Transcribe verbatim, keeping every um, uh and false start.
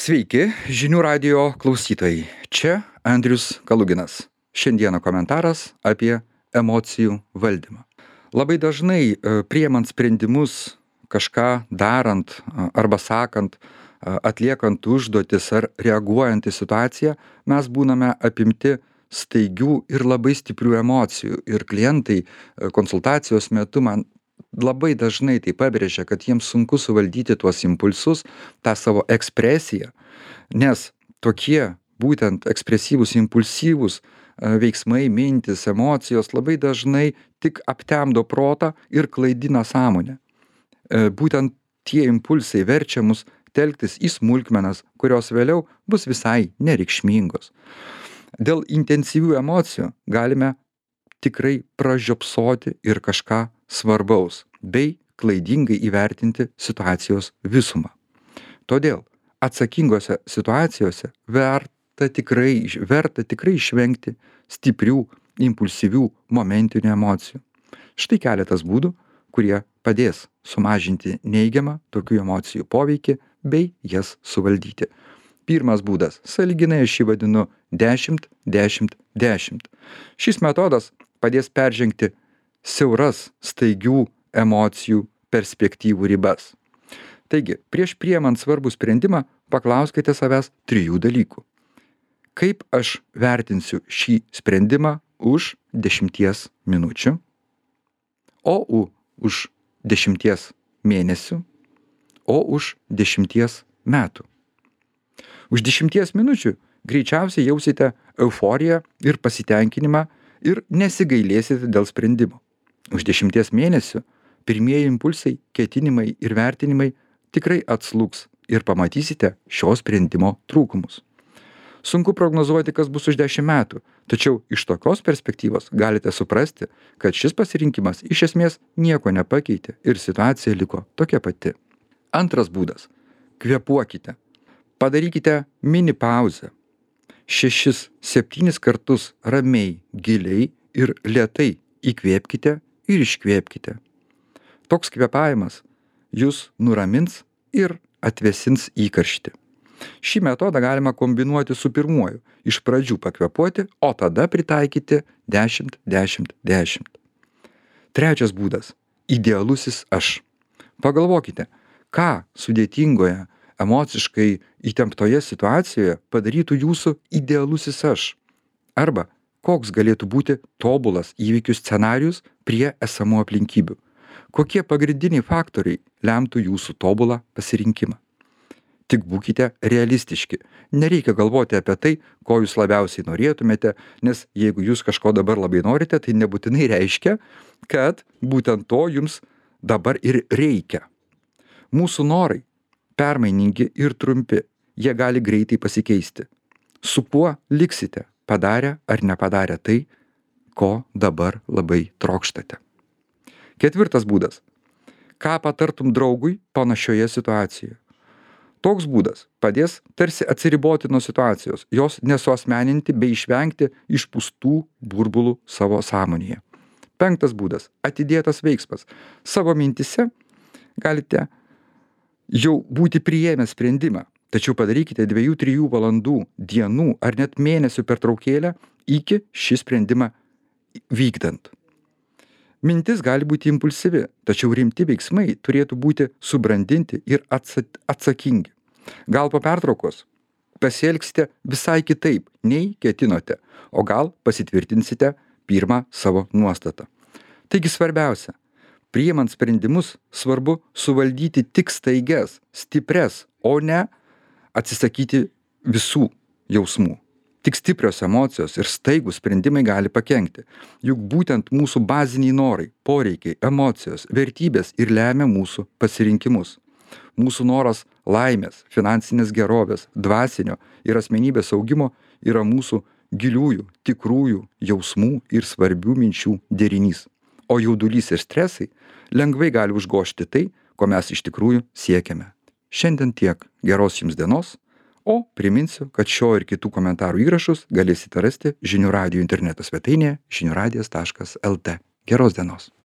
Sveiki, žinių radijo klausytojai. Čia Andrius Kaluginas. Šiandieną komentaras apie emocijų valdymą. Labai dažnai e, priemant sprendimus, kažką darant a, arba sakant, a, atliekant užduotis ar reaguojant į situaciją, mes būname apimti staigių ir labai stiprių emocijų. Ir klientai e, konsultacijos metu man labai dažnai tai pabrėžia, kad jiems sunku suvaldyti tuos impulsus, tą savo ekspresiją, nes tokie būtent ekspresyvūs, impulsyvūs e, veiksmai, mintis, emocijos labai dažnai tik aptemdo protą ir klaidina sąmonę. E, Būtent tie impulsai verčia mus telktis į smulkmenas, kurios vėliau bus visai nereikšmingos. Dėl intensyvių emocijų galime tikrai pražiopsoti ir kažką svarbaus, bei klaidingai įvertinti situacijos visumą. Todėl atsakingose situacijose verta tikrai, verta tikrai išvengti stiprių, impulsyvių, momentinių emocijų. Štai keletas būdų, kurie padės sumažinti neigiamą tokių emocijų poveikį bei jas suvaldyti. Pirmas būdas, sąlyginai aš jį vadinu dešimt dešimt dešimt. Šis metodas padės peržengti siauras staigių emocijų perspektyvų ribas. Taigi, prieš priemant svarbų sprendimą, paklauskite savęs trijų dalykų. Kaip aš vertinsiu šį sprendimą už dešimties minučių, o u, už dešimties mėnesių, o už dešimties metų. Už dešimties minučių greičiausiai jausite euforiją ir pasitenkinimą ir nesigailėsite dėl sprendimo. Už dešimties mėnesių pirmieji impulsai, ketinimai ir vertinimai tikrai atslūgs ir pamatysite šio sprendimo trūkumus. Sunku prognozuoti, kas bus už dešimt metų, tačiau iš tokios perspektyvos galite suprasti, kad šis pasirinkimas iš esmės nieko nepakeitė ir situacija liko tokia pati. Antras būdas. Kvėpuokite. Padarykite mini pauzę. Šešis, septynis kartus ramiai, giliai ir lėtai įkvėpkite ir iškvėpkite. Toks kvėpavimas jūs nuramins ir atvėsins įkarštį. Šį metodą galima kombinuoti su pirmuoju. Iš pradžių pakvėpuoti, o tada pritaikyti dešimt dešimt dešimt. Trečias būdas. Idealusis aš. Pagalvokite, ką sudėtingoje, emociškai įtemptoje situacijoje padarytų jūsų idealusis aš. Arba koks galėtų būti tobulas įvykių scenarijus prie esamų aplinkybių. Kokie pagrindiniai faktoriai lemtų jūsų tobulą pasirinkimą. Tik būkite realistiški. Nereikia galvoti apie tai, ko jūs labiausiai norėtumėte, nes jeigu jūs kažko dabar labai norite, tai nebūtinai reiškia, kad būtent to jums dabar ir reikia. Mūsų norai permainingi ir trumpi, jie gali greitai pasikeisti. Su kuo liksite, padarę ar nepadarę tai, ko dabar labai trokštate. Ketvirtas būdas. Ką patartum draugui panašioje situacijoje? Toks būdas padės tarsi atsiriboti nuo situacijos, jos nesuasmeninti bei išvengti išpūstų burbulų savo sąmonėje. Penktas būdas. Atidėtas veiksmas. Savo mintise galite jau būti priėmę sprendimą, tačiau padarykite dviejų trijų valandų, dienų ar net mėnesių pertraukėlę iki šį sprendimą vykdant. Mintis gali būti impulsyvi, tačiau rimti veiksmai turėtų būti subrandinti ir atsakingi. Gal po pertraukos pasielgsite visai kitaip, nei ketinote, o gal pasitvirtinsite pirmą savo nuostatą. Taigi svarbiausia, priimant sprendimus svarbu suvaldyti tik staigias, stipres, o ne atsisakyti visų jausmų. Tik stiprios emocijos ir staigūs sprendimai gali pakenkti. Juk būtent mūsų baziniai norai, poreikiai, emocijos, vertybės ir lemia mūsų pasirinkimus. Mūsų noras laimės, finansinės gerovės, dvasinio ir asmenybės augimo yra mūsų giliųjų, tikrųjų jausmų ir svarbių minčių derinys. O jaudulys ir stresai lengvai gali užgožti tai, ko mes iš tikrųjų siekiame. Šiandien tiek. Geros jums dienos. O priminsiu, kad šio ir kitų komentarų įrašus galėsite rasti žinių radijo interneto svetainėje žinių radijas taškas lt. Geros dienos.